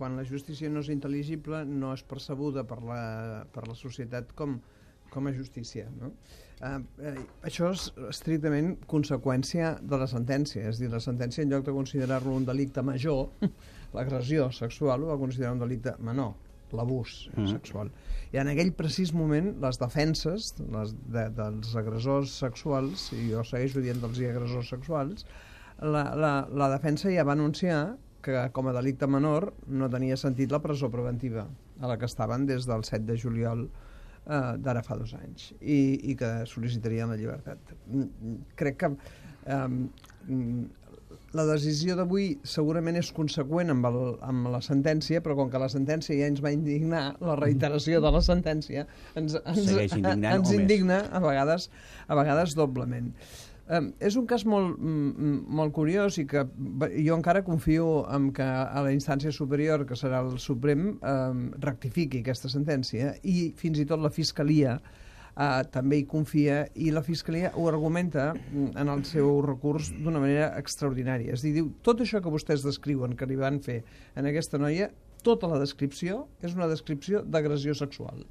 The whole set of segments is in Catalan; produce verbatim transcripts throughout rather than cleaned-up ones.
quan la justícia no és intel·ligible no és percebuda per la, per la societat com, com a justícia, no? Uh, uh, això és estrictament conseqüència de la sentència, és a dir, la sentència en lloc de considerar-lo un delicte major, l'agressió sexual ho va considerar un delicte menor, l'abús mm. sexual. I en aquell precís moment les defenses les de, dels agressors sexuals, i jo segueixo dient dels agressors sexuals, la, la, la defensa ja va anunciar que com a delicte menor no tenia sentit la presó preventiva a la que estaven des del set de juliol eh, d'ara fa dos anys i, i que sol·licitarien la llibertat. Crec que eh, la decisió d'avui segurament és conseqüent amb, el, amb la sentència, però com que la sentència ja ens va indignar, la reiteració de la sentència ens, ens, ens indigna a vegades, a vegades doblement. Um, és un cas molt, molt curiós i que jo encara confio en que a la instància superior, que serà el Suprem, um, rectifiqui aquesta sentència i fins i tot la Fiscalia Uh, també hi confia i la Fiscalia ho argumenta en el seu recurs d'una manera extraordinària. És a dir, diu, tot això que vostès descriuen que li van fer en aquesta noia, tota la descripció és una descripció d'agressió sexual.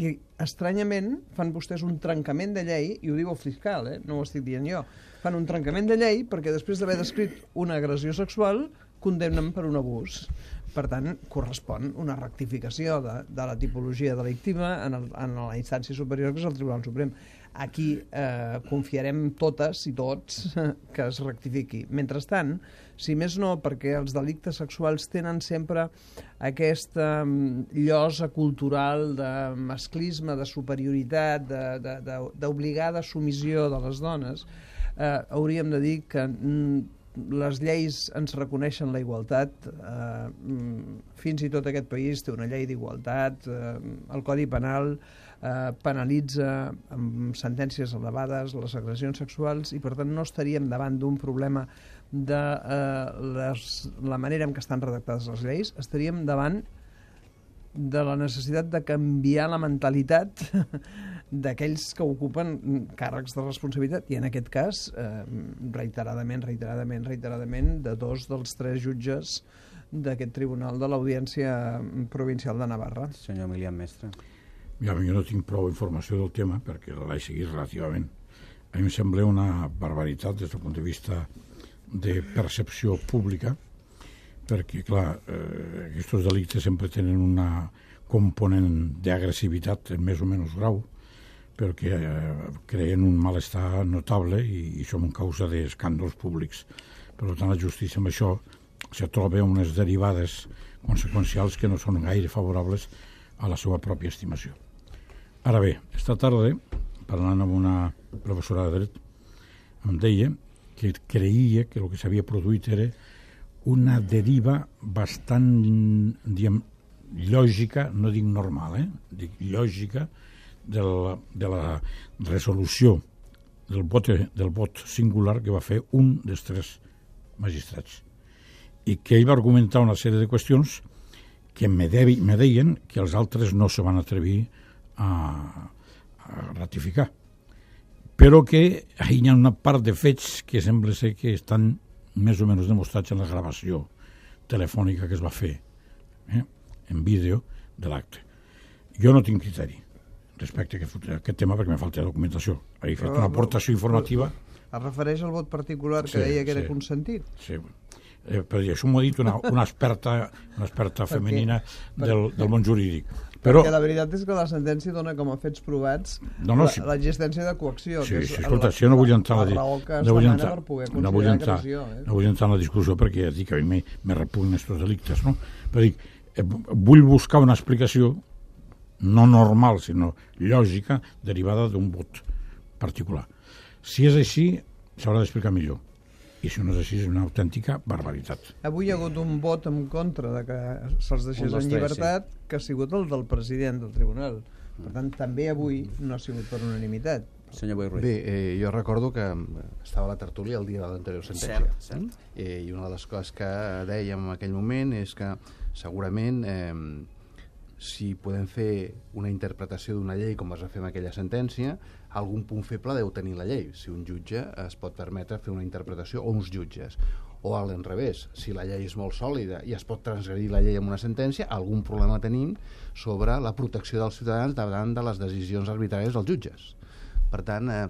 I estranyament fan vostès un trencament de llei, i ho diu el fiscal, eh? No ho estic dient jo, fan un trencament de llei perquè després d'haver descrit una agressió sexual condemnen per un abús. Per tant, correspon una rectificació de, de la tipologia delictiva en, el, en la instància superior, que és el Tribunal Suprem. Aquí eh, confiarem totes i tots que es rectifiqui. Mentrestant, si més no, perquè els delictes sexuals tenen sempre aquesta llosa cultural de masclisme, de superioritat, d'obligada submissió de les dones, eh, hauríem de dir que les lleis ens reconeixen la igualtat, eh, fins i tot aquest país té una llei d'igualtat, eh, el Codi Penal eh, penalitza amb sentències elevades les agressions sexuals i per tant no estaríem davant d'un problema de eh, les, la manera en què estan redactades les lleis, estaríem davant de la necessitat de canviar la mentalitat d'aquells que ocupen càrrecs de responsabilitat, i en aquest cas, eh, reiteradament, reiteradament, reiteradament, de dos dels tres jutges d'aquest tribunal de l'Audiència Provincial de Navarra. Senyor Emilian Mestre. Ja, jo no tinc prou informació del tema, perquè l'he seguit relativament. A mi em sembla una barbaritat des del punt de vista de percepció pública, perquè, clar, eh, aquests delictes sempre tenen una component d'agressivitat més o menys grau, perquè eh, creen un malestar notable i, i som en causa d'escàndols públics. Per tant, la justícia amb això se troba unes derivades conseqüencials que no són gaire favorables a la seva pròpia estimació. Ara bé, esta tarda, parlant amb una professora de dret, em deia que creia que el que s'havia produït era una deriva bastant, diguem, lògica, no dic normal, eh? Dic lògica, de la, de la resolució del vot, del vot singular que va fer un dels tres magistrats. I que ell va argumentar una sèrie de qüestions que me, devi, me deien que els altres no se van atrevir a, a ratificar. Però que hi ha una part de fets que sembla ser que estan més o menys demostrats en la gravació telefònica que es va fer, eh, en vídeo de l'acte. Jo no tinc criteri respecte a aquest tema perquè me falta documentació. He fet una aportació informativa. Es refereix al vot particular que sí, deia que sí, era consentit? Sí. Eh, però això m'ho ha dit una, una experta, una experta femenina del, del món jurídic. Però, perquè la veritat és que la sentència dona com a fets provats no, no, sí, l'existència de coacció. Sí, que és sí, escolta, si jo no vull entrar la raó que es no demana entrar, per poder no considerar entrar, agressió. Eh? No vull entrar en la discussió perquè ja dic que a mi me, me repugnen aquests delictes, no? Però dic, eh, vull buscar una explicació no normal, sinó lògica, derivada d'un vot particular. Si és així, s'haurà d'explicar millor. I si no és així, és una autèntica barbaritat. Avui hi ha hagut un vot en contra de que se'ls deixés en llibertat, sí, que ha sigut el del president del tribunal. Per tant, també avui no ha sigut per unanimitat. Senyor Boi Ruiz. Bé, eh, jo recordo que estava a la tertúlia el dia de l'anterior sentència. Cert, cert. Eh, I una de les coses que dèiem en aquell moment és que segurament eh, si podem fer una interpretació d'una llei com es va fer en aquella sentència, algun punt feble deu tenir la llei. Si un jutge es pot permetre fer una interpretació, o uns jutges, o a l'enrevés, si la llei és molt sòlida i es pot transgredir la llei amb una sentència, algun problema tenim sobre la protecció dels ciutadans davant de les decisions arbitràries dels jutges. Per tant, eh,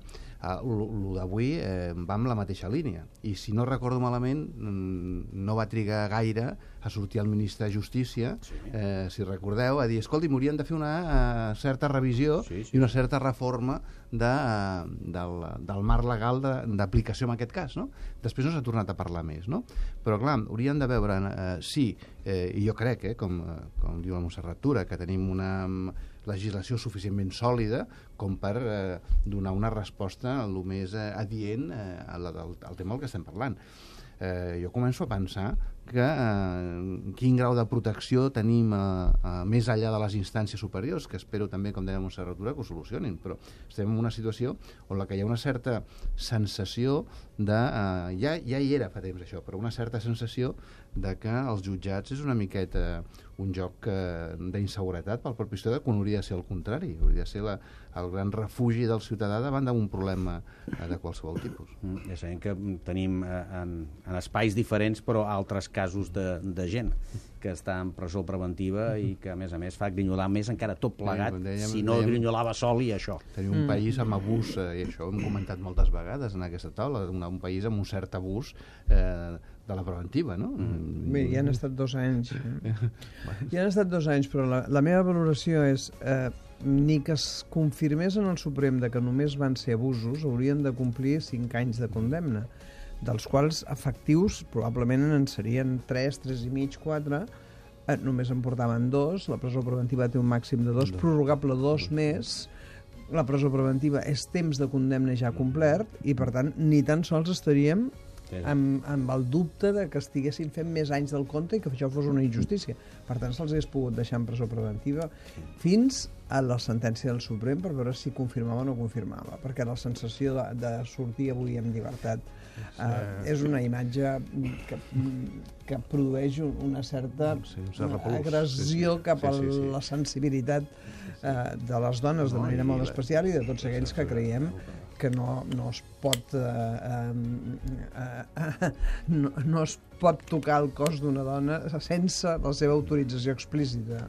el d'avui eh, va en la mateixa línia. I si no recordo malament, no va trigar gaire a sortir el ministre de Justícia, eh, si recordeu, a dir, escolti, m'haurien de fer una eh, certa revisió sí, sí. i una certa reforma de, eh, del, del marc legal d'aplicació en aquest cas. No? Després no s'ha tornat a parlar més. No? Però, clar, haurien de veure, eh, sí, eh, i jo crec, eh, com, com diu la Montserrat Tura, que tenim una legislació suficientment sòlida com per eh, donar una resposta el més eh, adient eh, al, al, al tema del que estem parlant. Eh, jo començo a pensar que eh, quin grau de protecció tenim eh, eh, més enllà de les instàncies superiors, que espero també, com deia Montserrat Tura, que ho solucionin, però estem en una situació on la que hi ha una certa sensació de... Eh, ja, ja hi era fa temps això, però una certa sensació de que els jutjats és una miqueta un joc eh, d'inseguretat pel propi ciutadà, quan hauria de ser el contrari, hauria de ser la, el gran refugi del ciutadà davant d'un problema eh, de qualsevol tipus. Mm, ja sabem que tenim eh, en, en espais diferents, però altres casos de, de gent que està en presó preventiva i que, a més a més, fa grinyolar més encara tot plegat, sí, dèiem, si no dèiem, grinyolava sol i això. Tenim un mm. país amb abús, eh, i això ho hem comentat moltes vegades en aquesta taula, un, un país amb un cert abús eh, de la preventiva, no? Mm. Bé, ja han estat dos anys. Ja han estat dos anys, però la, la meva valoració és eh, ni que es confirmés en el Suprem de que només van ser abusos, haurien de complir cinc anys de condemna, dels quals efectius probablement en serien tres, tres i mig, quatre, eh, només en portaven dos, la presó preventiva té un màxim de dos, prorrogable dos més, la presó preventiva és temps de condemna ja complert i, per tant, ni tan sols estaríem amb, amb el dubte de que estiguessin fent més anys del compte i que això fos una injustícia. Per tant, se'ls hagués pogut deixar en presó preventiva fins a la sentència del Suprem per veure si confirmava o no confirmava, perquè la sensació de, de sortir avui en llibertat eh, és una imatge que, que produeix una certa sí, un agressió sí, sí. cap a sí, sí, sí. la sensibilitat eh, de les dones de manera molt especial i de tots aquells que creiem que no, no es pot eh, eh, eh, no, no es pot tocar el cos d'una dona sense la seva autorització explícita.